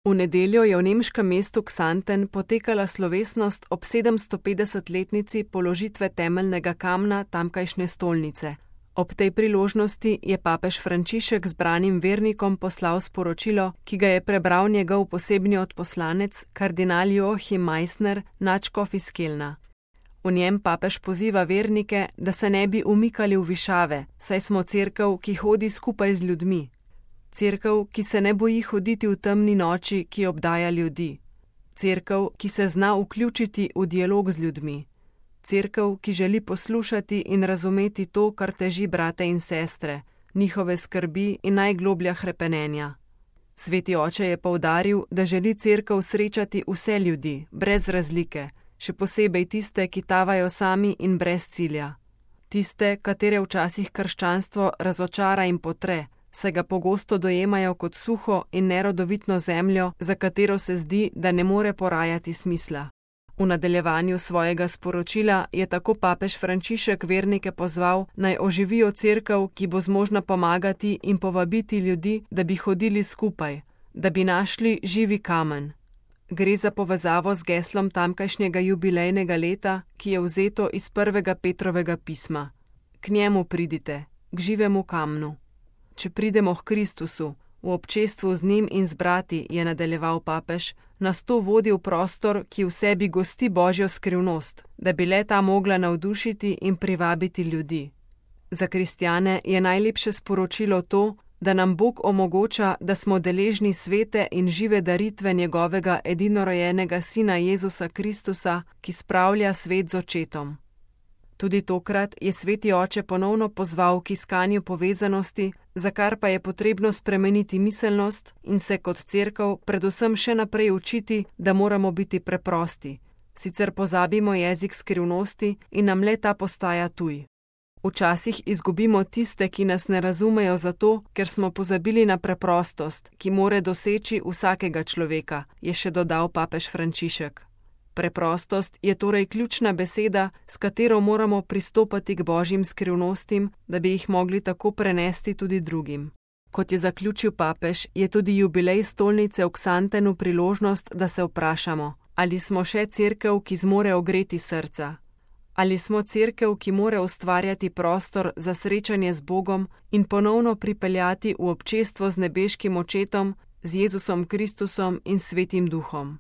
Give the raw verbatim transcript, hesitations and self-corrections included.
V nedeljo je v nemškem mestu Xanten potekala slovesnost ob sedemstopetdesetletnici položitve temeljnega kamna tamkajšnje stolnice. Ob tej priložnosti je papež Frančišek zbranim vernikom poslal sporočilo, ki ga je prebral njegov posebni odposlanec, kardinal Joachim Meissner, nadškof iz Kelna. V njem papež poziva vernike, da se ne bi umikali v višave, saj smo cerkev, ki hodi skupaj z ljudmi. Cerkev, ki se ne boji hoditi v temni noči, ki obdaja ljudi. Cerkev, ki se zna vključiti v dialog z ljudmi. Cerkev, ki želi poslušati in razumeti to, kar teži brate in sestre, njihove skrbi in najgloblja hrepenenja. Sveti oče je poudaril, da želi cerkev srečati vse ljudi, brez razlike, še posebej tiste, ki tavajo sami in brez cilja. Tiste, katere včasih krščanstvo razočara in potre, saj ga pogosto dojemajo kot suho in nerodovitno zemljo, za katero se zdi, da ne more porajati smisla. V nadaljevanju svojega sporočila je tako papež Frančišek vernike pozval, naj oživijo cerkev, ki bo zmožna pomagati in povabiti ljudi, da bi hodili skupaj, da bi našli živi kamen. Gre za povezavo z geslom tamkajšnjega jubilejnega leta, ki je vzeto iz prvega Petrovega pisma. K njemu pridite, k živemu kamnu. Če pridemo k Kristusu, v občestvu z njim in z brati, je nadaljeval papež, nas to vodi v prostor, ki v sebi gosti Božjo skrivnost, da bi le ta mogla navdušiti in privabiti ljudi. Za kristjane je najlepše sporočilo to, da nam Bog omogoča, da smo deležni svete in žive daritve njegovega edinorojenega sina Jezusa Kristusa, ki spravlja svet z očetom. Tudi tokrat je sveti oče ponovno pozval k iskanju povezanosti, za kar pa je potrebno spremeniti miselnost in se kot cerkev predvsem še naprej učiti, da moramo biti preprosti, sicer pozabimo jezik skrivnosti in nam le ta postaja tuj. Včasih izgubimo tiste, ki nas ne razumejo zato, ker smo pozabili na preprostost, ki more doseči vsakega človeka, je še dodal papež Frančišek. Preprostost je torej ključna beseda, s katero moramo pristopati k božjim skrivnostim, da bi jih mogli tako prenesti tudi drugim. Kot je zaključil papež, je tudi jubilej stolnice v Xantenu priložnost, da se vprašamo, ali smo še cerkev, ki zmore ogreti srca. Ali smo cerkev, ki more ustvarjati prostor za srečanje z Bogom in ponovno pripeljati v občestvo z nebeškim očetom, z Jezusom Kristusom in Svetim Duhom.